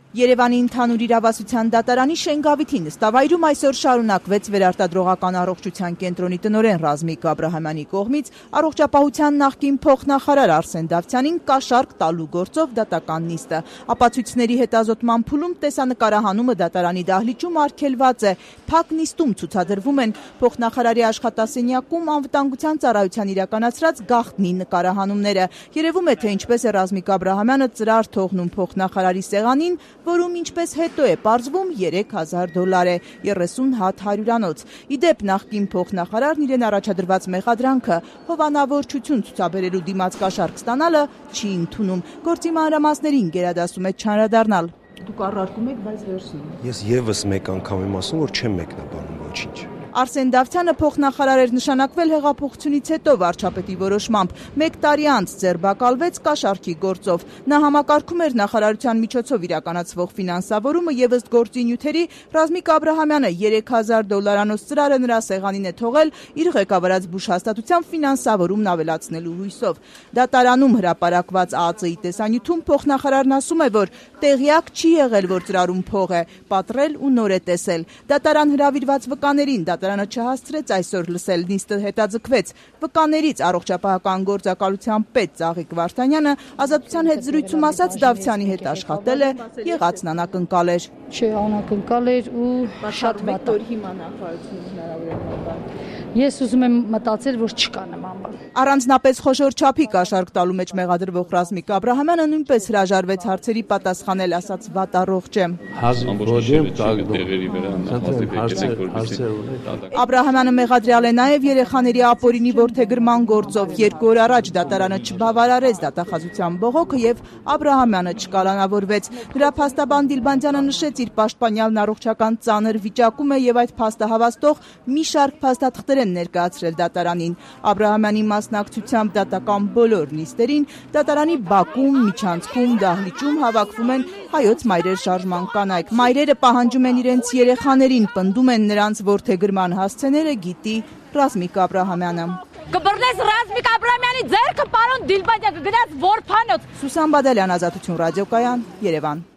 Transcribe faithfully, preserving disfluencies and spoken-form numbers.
Երևանի ընդհանուր իրավասության դատարանի Շենգավիթի նստավայրում այսօր շարունակվեց վերարտադրողական առողջության կենտրոնի տնօրեն Ռազմիկ Աբրահամյանի կողմից առողջապահության նախկին փոխնախարար Արսեն Դավթյանին կաշառք տալու գործով դատական նիստը։ Ապացույցների հետազոտման փուլում տեսանկարահանումը դատարանի դահլիճում արգելված է։ Փակ նիստում ցուցադրվում են փոխնախարարի աշխատասենյակում անվտանգության ծառայության իրականացրած գաղտնի նկարահանումները։ Երևում է, թե ինչպես է Ռազմիկ Աբրահամյանը ծրար թողնում փոխնախարարի սեղանին, որում ինչպես հետո է պարզվում երեք հազար դոլար է, երեսուն հատ հարյուրանոց։ Իդեպ նախկին փոխնախարարն իրեն առաջադրված մեղադրանքը հովանավորչություն ցուցաբերելու դիմաց կաշառք ստանալը չի ընդունում։ Գործի մանրամասներին գերադասում է չանդրադառնալ։ Դուք առարկում եք, բայց վերջին։ Ես եւս մեկ անգամ եմ ասում, որ չեմ մեկնաբանում ոչինչ։ Արսեն Դավթյանը փոխնախարար էր նշանակվել հեղափոխությունից հետո վարչապետի որոշմամբ։ Մեկ տարի անց ձերբակալվեց կաշառքի գործով։ Նա համակարգում էր նախարարության միջոցով իրականացվող ֆինանսավորումը եւ ըստ գործի նյութերի Ռազմիկ Աբրահամյանը երեք հազար դոլարանոց ծրարը նրա սեղանին է թողել իր ղեկավարած բուժ հաստատության ֆինանսավորումն ավելացնելու հույսով։ Դատարանում հրապարակված ԱԱԾ-ի տեսանյութում փոխնախարարն ասում է, որ տեղյակ չի եղել, որ ծրարում փող է, պատռել ու նոր է տեսել։ Դատարան հրավիրված վկաներին դատարանը չհասցրեց այսօր լսել, նիստը հետաձգվեց։ Վկաներից առողջապահական գործակալության պետ Ծաղիկ Վարդանյանը ազատության հետ զրույցում ասաց Դավթյանի հետ աշխատել է, եղածն անակնկալ էր։ Չէ, անակնկալ էր ու շատ վատ է։ Հիմա նախարարությունից հնարավոր է։ Ես ուզում եմ մտածել, որ չկա նման բան։ Առանձնապես խոշոր չափի կաշառք տալու մեջ մեղադրվող Ռազմիկ Աբրահամյանը նույնպես հրաժարվեց հարցերի պատասխանել, ասաց վատ առողջ եմ։ Աբրահամյանը մեղադրյալ է նաև երեխաների ապօրինի որդեգրման գործով։ Երկու օր առաջ դատարանը չբավարարեց դատախազության բողոքը եւ Աբրահամյանը չկալանավորվեց։ Նրա փաստաբան Դիլբանդյանը նշեց, իր պաշտպանյալն առողջական ծանր վիճակում է եւ այդ փաստը հավաստող մի շարք փաստաթղթեր են ներկայացրել դատարանին։ Աբրահամյանի մասնակցությամբ դատական բոլոր նիստերին դատարանի բակում, միջանցքում, դահլիճում հավաքվում են հայոց մայրեր շարժման կանայք։ Մայրերը պահանջում են իրենց երեխաներին, պնդում են նրանց որդեգրման հասցեները գիտի Ռազմիկ Աբրահամյանը։ Կբռնես Ռազմիկ Աբրահամյանի ձեռքը, պարոն Դիլբանդյան, կգնաս որբանոց։ Սուսան Բադալյան, Ազատություն ռադիոկայան, Երևան։